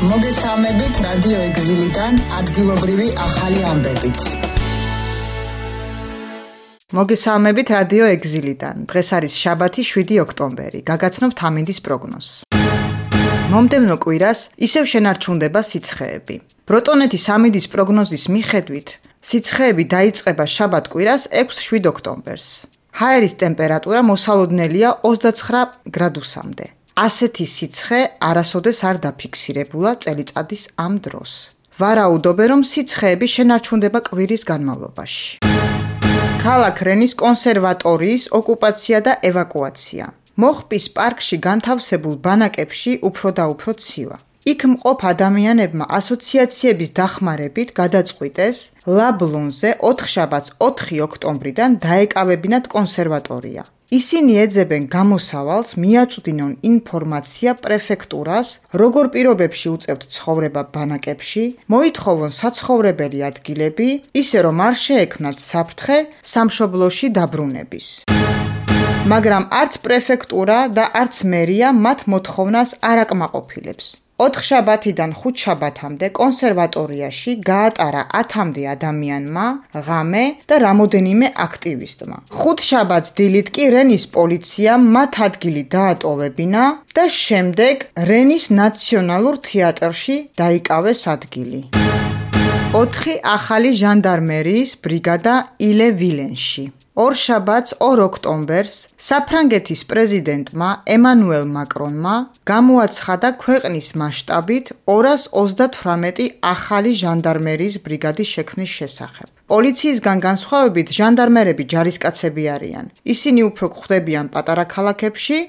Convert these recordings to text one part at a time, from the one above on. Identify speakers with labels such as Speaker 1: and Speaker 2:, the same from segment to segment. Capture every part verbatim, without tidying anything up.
Speaker 1: მოგესალმებით რადიო ეგზილიდან ადგილობრივი ახალი ამბებით.
Speaker 2: მოგესალმებით რადიო ეგზილიდან. დღეს არის შაბათი შვიდი ოქტომბერი. გაგაცნობთ ამინდის პროგნოზს. მომდევნო კვირას ისევ შენარჩუნდება სიცხეები. ბროტონეთის ამინდის პროგნოზის მიხედვით, სიცხეები დაიწყება შაბათ კვირას ექვსი ოქტომბერს. ჰაერის ტემპერატურა მოსალოდნელია ოცდაცხრა გრადუსამდე. ასეთი სიცხე არასოდეს არ დაფიქსირებულა წელიწადის ამ დროს. ვარაუდობენ, რომ სიცხეები შენარჩუნდება კვირის განმავლობაში. ქალაქ რენის კონსერვატორიის ოკუპაცია და ევაკუაცია. მოხპის პარკში განთავსებულ ბანაკებში უფრო და უფრო ცივა. იქ მყოფ ადამიანებმა ასოციაციების დახმარებით გადაწყვიტეს ლაბლონზე ოთხშაბათს ოთხი ოქტომბრიდან დაეკავებინათ კონსერვატორია. ისინი ეძებენ გამოსავალს მიაწვდინონ ინფორმაცია პრეფექტურას, როგორ პირობებში უწევთ ცხოვრება ბანაკებში, მოითხოვონ საცხოვრებელი ადგილები, ისე რომ არ შეექმნათ საფრთხე სამშობლოში დაბრუნების. მაგრამ არც პრეფექტურა და არც მერია მათ მოთხოვნას არ აკმაყოფილებს. ოთხშაბათიდან ხუთშაბათამდე კონსერვატორიაში გაატარა ათამდე ადამიანმა ღამე და რამოდენიმე აქტივისტმა. ხუთშაბათს დილით კი რენის პოლიციამ მათ ადგილი დაატოვებინა და შემდეგ რენის ნაციონალურ თეატრში დაიკავეს ადგილი. ოთხი ახალი ჟანდარმერიის ბრიგადა ილე-ვილენში. ორშაბათს ორი ოქტომბერს საფრანგეთის პრეზიდენტმა ემანუელ მაკრონმა გამოაცხადა ქვეყნის მასშტაბით ორას ოცდათვრამეტი ახალი ჟანდარმერიის ბრიგადის შექმნის შესახებ. პოლიციისგან განსხვავებით ჟანდარმერები ჯარისკაცები არიან. ისინი უფრო გვხვდებიან პატარა ქალაქებში,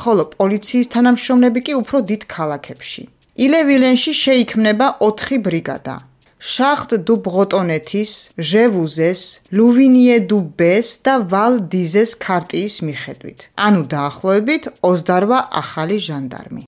Speaker 2: ხოლო პოლიციის თანამშრომლები კი უფრო დიდ ქალაქებში. ილე-ვილენში შეიქმნება ოთხი ბრიგადა. შახტ დუ ბროტონეთის, ჟევუზეს, ლუვინიე დუ ბეს და ვალ დიზეს ქარტიის მიხედვით. ანუ დაახლოებით ოცდარვა ახალი ჟანდარმი.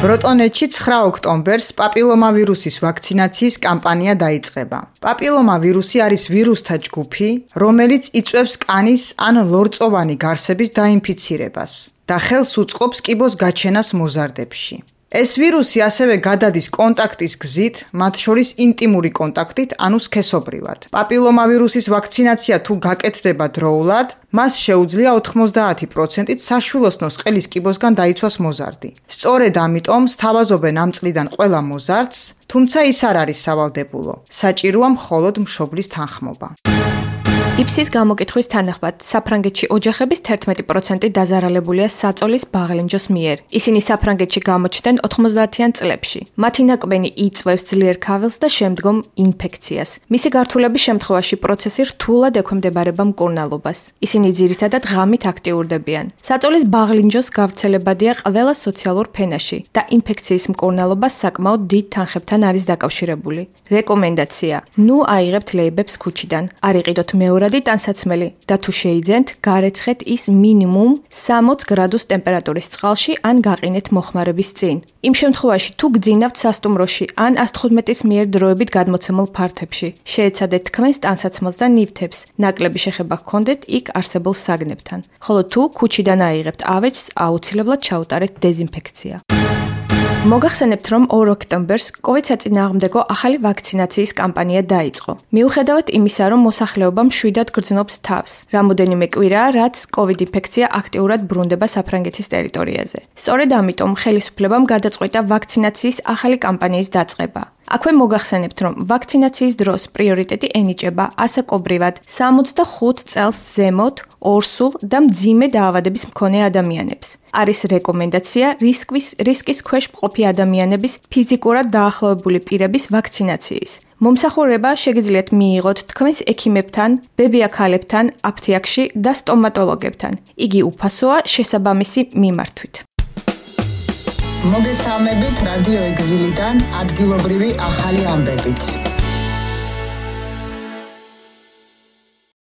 Speaker 2: ბროტონეთში ცხრა ოქტომბერს პაპილომავირუსის ვაქცინაციის კამპანია დაიწყება. პაპილომავირუსი არის ვირუსთა ჯგუფი, რომელიც იწვევს კანის ან ლორწოვანი გარსების დაინფიცირებას და ხელს უწყობს კიბოს გაჩენას მოზარდებში. ეს ვირუსი ასევე გადადის კონტაქტის გზით, მათ შორის ინტიმური კონტაქტით, ანუ სქესობრივად. პაპილომავირუსის ვაქცინაცია თუ გაკეთდება დროულად, მას შეუძლია ოთხმოცდაათი პროცენტით საშვილოსნოს ყელის კიბოსგან დაიცვას მოზარდი. სწორედ ამიტომ სთავაზობენ ამ წლიდან ყველა მოზარდს, თუმცა ის არ არის სავალდებულო. საჭიროა მხოლოდ მშობლის თანხმობა.
Speaker 3: იფსის გამოკითხვის თანახმად, საფრანგეთში ოჯახების თერთმეტი პროცენტი დაზარალებულია საწოლის ბაღლინჯოს მიერ. ისინი საფრანგეთში გამოჩნდნენ ოთხმოცდაათიან წლებში. მათი ნაკბენი იწვევს ძლიერ ქაველს და შემდგომ ინფექციას. მისი გართულების შემთხვევაში პროცესი რთულად ექვემდებარება მკურნალობას. ისინი ძირითადად ღამით აქტიურდებიან. საწოლის ბაღლინჯოს გავრცელებადია ყველა სოციალურ ფენაში და ინფექციის მკურნალობა საკმაოდ დიდ თანხებთან არის დაკავშირებული. რეკომენდაცია: ნუ აიღებთ ლეიბებს ქუჩიდან, არ იყიდოთ მეორე ტანსაცმელი და თუ შეიძენთ, გარეცხეთ ის მინიმუმ სამოცი გრადუს ტემპერატურის წყალში ან გაყინეთ მოხმარების წინ. იმ შემთხვევაში, თუ გძინავთ სასტუმროში ან ას თხუთმეტის მიერ დროებით გადმოცემულ ფართებში, შეეცადეთ თქვენს ტანსაცმელს და ნივთებს, ნაკლები შეხება ჰქონდეთ იქ არსებულ საგნებთან. ხოლო თუ ქუჩიდან აიღებთ ავეჯს, აუცილებლად ჩაუტარეთ დეზინფექცია. მოგახსენებთ, რომ ორი ოქტომბერს კოვიდ საწინააღმდეგო ახალი ვაქცინაციის კამპანია დაიწყო. მიუხედავად იმისა, რომ მოსახლეობა მშვიდად გრძნობს თავს, რამოდენიმე კვირაა, რაც კოვიდ ინფექცია აქტიურად ბრუნდება საფრანგეთის ტერიტორიაზე. სწორედ ამიტომ ხელისუფლებამ გადაწყვიტა ვაქცინაციის ახალი კამპანიის დაწყება. აქვე მოგახსენებთ, რომ ვაქცინაციის დროს პრიორიტეტი ენიჭება ასაკობრივად სამოცდახუთ წელს ზემოთ, ორსულ და მძიმე დაავადების მქონე ადამიანებს. არის რეკომენდაცია რისკის რისკის ქვეშ მყოფი ადამიანების ფიზიკურად დაახლოებული პირების ვაქცინაციის. მომსახურება შეგიძლიათ მიიღოთ თქვენს ექიმებთან, ბებია-ქალებთან, აფთიაქში და სტომატოლოგებთან. იგი უფასოა შესაბამისი მიმართვით.
Speaker 1: მოგესალმებით რადიო ეგზილიდან ადგილობრივი ახალი ამბებით.